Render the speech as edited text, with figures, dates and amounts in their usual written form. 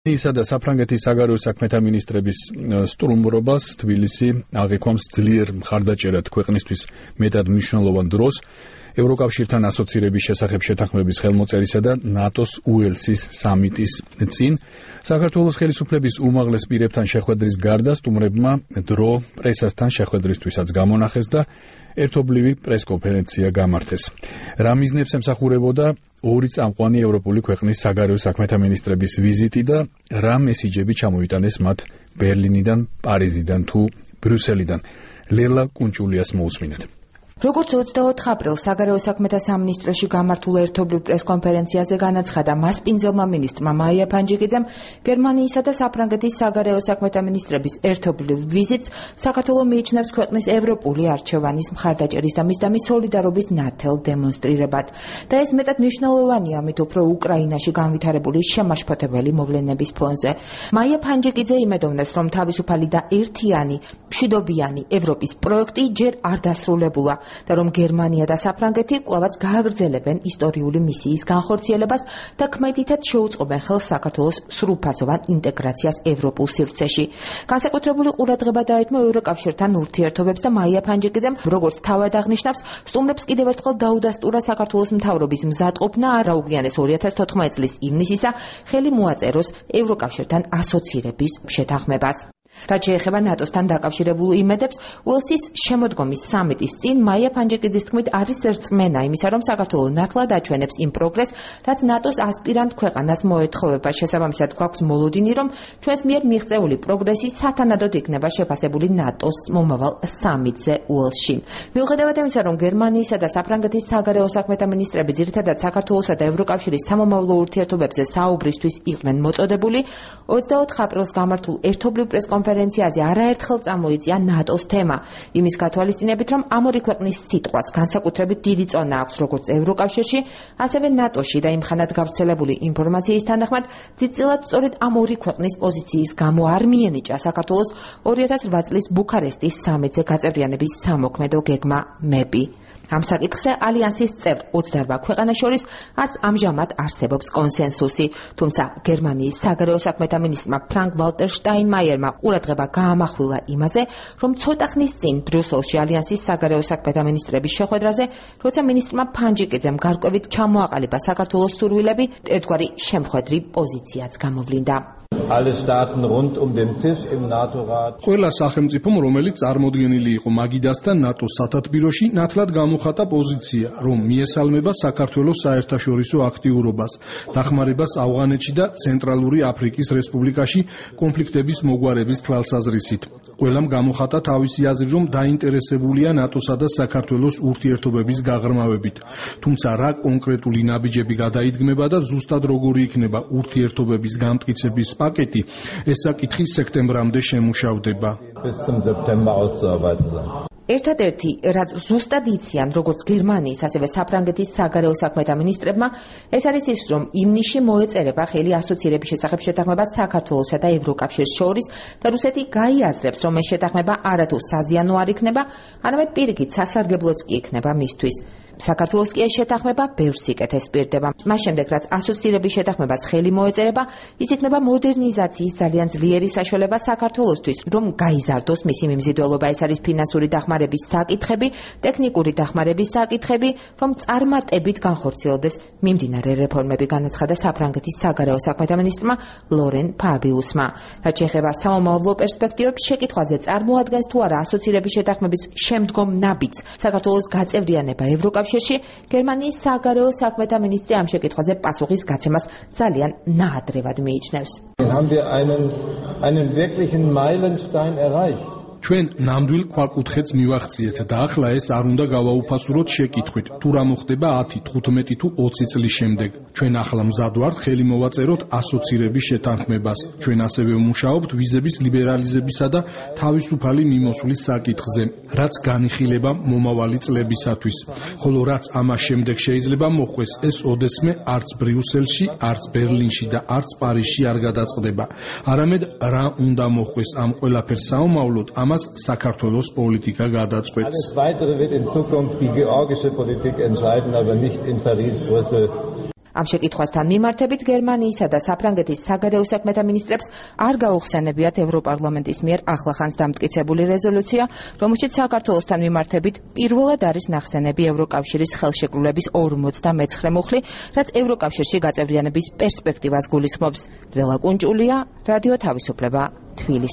ისა და საფრანგეთის საგარეო საქმეთა მინისტრების სტუმრობას თბილისი აღიქვამს ძლიერ მხარდაჭერად ქვეყნისთვის მეტად მნიშვნელოვან დროს ევროკავშირთან ასოცირების შესახებ შეთანხმების ხელმოწერისა და ნატოს უელსის სამიტის წინ საქართველოს ხელისუფლების უმაღლეს პირებთან შეხვედრის გარდა სტუმრებმა დრო პრესასთან შეხვედრისთვისაც გამონახეს და ერთობლივი პრესკონფერენცია გამართეს. რა მიზნებს ემსახურებოდა ორი წამყვანი ევროპული ქვეყნის საგარეო საქმეთა მინისტრების ვიზიტი და რა მესიჯები ჩამოიტანეს მათ ბერლინიდან, პარიზიდან თუ ბრიუსელიდან. ლელა კუნჭულიას მოусმინეთ. როგორც 24 აპრილს საგარეო საქმეთა სამინისტროში გამართულ ერთობლივ პრესკონფერენციაზე განაცხადა მასპინძელმა მინისტრმა მაია ფანჯიკიძემ, გერმანიისა და საფრანგეთის საგარეო საქმეთა მინისტრების ერთობლივ ვიზიტს საქართველო მიიჩნევს ქვეყნის ევროპული არჩევანის მხარდაჭერის და მისდამი სოლიდარობის ნათელ დემონსტრირებად. და ეს მეტად მნიშვნელოვანია, ამით უფრო უკრაინაში განვითარებული შემაშფოთებელი მოვლენების ფონზე. მაია ფანჯიკიძე იმედოვნებს, რომ თავისუფალი და ერთიანი, მშვიდობიანი ევროპის პროექტი ჯერ არ დასრულებულა. და რომ გერმანია და საფრანგეთი კვლავაც გააგრძელებენ ისტორიული მისიის განხორციელებას და ქმედითად შეუწყობენ ხელს საქართველოს სრულფასოვან ინტეგრაციას ევროპულ სივრცეში. განსაკუთრებული ყურადღება დაეთმო ევროკავშირთან ურთიერთობებს და მაია ფანჯიკიძემ, როგორც თავად აღნიშნავს, სტუმრებს კიდევ ერთხელ დაუდასტურა საქართველოს მთავრობის მზადყოფნა არაუგვიანეს 2014 წლის ივნისისა ხელი მოაწეროს ევროკავშირთან ასოცირების შეთანხმებას. რაც შეეხება ნატოსთან დაკავშირებულ იმედებს, უელსის შემოდგომის სამიტის წინ მაია ფანჯიკიძის თქმით არის რწმენა იმისა, რომ საქართველო ნათლად აჩვენებს იმ პროგრესს, რაც ნატოს ასპირანტ ქვეყანას მოეთხოვება. შესაბამისად, გვაქვს მოლოდინი, რომ ჩვენს მიერ მიღწეული პროგრესი სათანადოდ იქნება შეფასებული ნატოს მომავალ სამიტზე უელსში. მიუხედავად იმისა, რომ გერმანიისა და საფრანგეთის საგარეო საქმეთა მინისტრები ძირითადად საქართველოსა და ევროკავშირის სამომავლო ურთიერთობებზე საუბრისთვის იყვნენ მოწოდებული, 24 აპრილს გამართულ ერთობლივ პრესკონფერენციაზე არაერთხელ წამოიწია ნატოს თემა. იმის გათვალისწინებით, რომ ამ ორი ქვეყნის სიტყვას განსაკუთრებით დიდი წონა აქვს როგორც ევროკავშირში, ასევე ნატოში და იმხანად გავრცელებული ინფორმაციის თანახმად, ძირწილად სწორედ ამ ორი ქვეყნის პოზიციის გამო არ მიენიჭა საქართველოს 2008 წლის ბუქარესტის სამიტზე გაწევრიანების სამოქმედო გეგმა მები. ამ საკითხზე ალიანსის წევრ 28 ქვეყანას შორის არც ამჟამად არსებობს კონსენსუსი, თუმცა გერმანიის საგარეო საქმეთა მინისტრმა ფრანკ ვალტერ შტაინმაიერმა ყურადღება გაამახვილა იმაზე, რომ ცოტა ხნის წინ ბრიუსელში ალიანსის საგარეო საქმეთა მინისტრების შეხვედრაზე, როცა მინისტრმა ფანჯიკიძემ გარკვევით ჩამოაყალიბა საქართველოს სურვილები, ერთგვარი შემხვედრი პოზიციაც გამოვლინდა. ყველა სახელმწიფომ, რომელიც წარმოდგენილი იყო მაგიდასთან ნატოს სათათბიროში, ნათლად გამოხატა პოზიცია, რომ მიესალმება საქართველოს საერთაშორისო აქტიურობას, დახმარებას ავღანეთში და ცენტრალური აფრიკის რესპუბლიკაში კონფლიქტების მოგვარების თვალსაზრისით. ყველამ გამოხატა თავისი აზრი, რომ დაინტერესებულია ნატოსა და საქართველოს ურთიერთობების გაღრმავებით. თუმცა რა კონკრეტული ნაბიჯები გადაიდგმება და ზუსტად როგორი იქნება ურთიერთობების გამტკიცების პაკეტი, ეს საკითხი სექტემბრამდე შემუშავდება. ერთადერთი, რაც ზუსტად იციან როგორც გერმანიის, ასევე საფრანგეთის საგარეო საქმეთა მინისტრებმა, ეს არის ის, რომ ივნისში მოეწერება ხელი ასოცირების შესახებ შეთანხმებას საქართველოსა და ევროკავშირს შორის და რუსეთი გაიაზრებს, რომ ეს შეთანხმება არათუ საზიანო არ იქნება, არამედ პირიქით სასარგებლოც კი იქნება მისთვის. საქართველოს კი ეს შეთანხმება ბევრ სიკეთეს პირდება. მას შემდეგ, რაც ასოცირების შეთანხმებას ხელი მოეწერება, ის იქნება მოდერნიზაციის ძალიან ძლიერი საშუალება საქართველოსთვის, რომ გაიზარდოს მისი მიმზიდველობა. ეს არის ფინანსური დახმარების საკითხები, ტექნიკური დახმარების საკითხები, რომ წარმატებით განხორციელდეს მიმდინარე რეფორმები, განაცხადა საფრანგეთის საგარეო საქმეთა მინისტრმა ლორენ ფაბიუსმა. რაც შეეხება სამომავლო პერსპექტივებს, შეკითხვაზე წარმოადგენს თუ არა ასოცირების შეთანხმების შემდგომ ნაბიჯს საქართველოს გაწევრიანება ევროკავშირში, გერმანიის საგარეო საქმეთა მინისტრი ამ შეკითხვაზე პასუხის გაცემას ძალიან ნაადრევად მიიჩნევს. ჩვენ ნამდვილ ქვაკუთხედს მივახციეთ და ახლა ეს არ უნდა გავაუფასუროთ შეკითხვით, თუ რა მოხდება 10, 15 თუ 20 წლის შემდეგ. ჩვენ ახლა მზად ვართ ხელი მოვაწეროთ ასოცირების შეთანხმებას. ჩვენ ასევე ვმუშაობთ ვიზების ლიბერალიზებისა და თავისუფალი მიმოსვლის საკითხზე, რაც განიხილება მომავალი წლებისათვის. ხოლო რაც ამას შემდეგ შეიძლება მოხდეს, ეს ოდესმე არც ბრიუსელში, არც ბერლინში და არც პარიზში არ გადაწყდება. არამედ რა უნდა მოხდეს ამ ყველაფერს საომავლოდ, ამას საქართველოს პოლიტიკა გადაწყვეტს. Alles weitere wird in Zukunft die georgische Politik entscheiden, aber nicht in Paris, Brüssel. ამ შეკითხვასთან მიმართებით გერმანიისა და საფრანგეთის საგარეო საქმეთა მინისტრებს არ გაუხსენებიათ ევროპარლამენტის მიერ ახლახანს დამტკიცებული რეზოლუცია, რომელშიც საქართველოსთან მიმართებით პირველად არის ნახსენები ევროკავშირის ხელშეკრულების 59 მუხლი, რაც ევროკავშირში გაწევრიანების პერსპექტივას გულისხმობს. ბრელა კუნჭულია, რადიო თავისუფლება, თბილისი.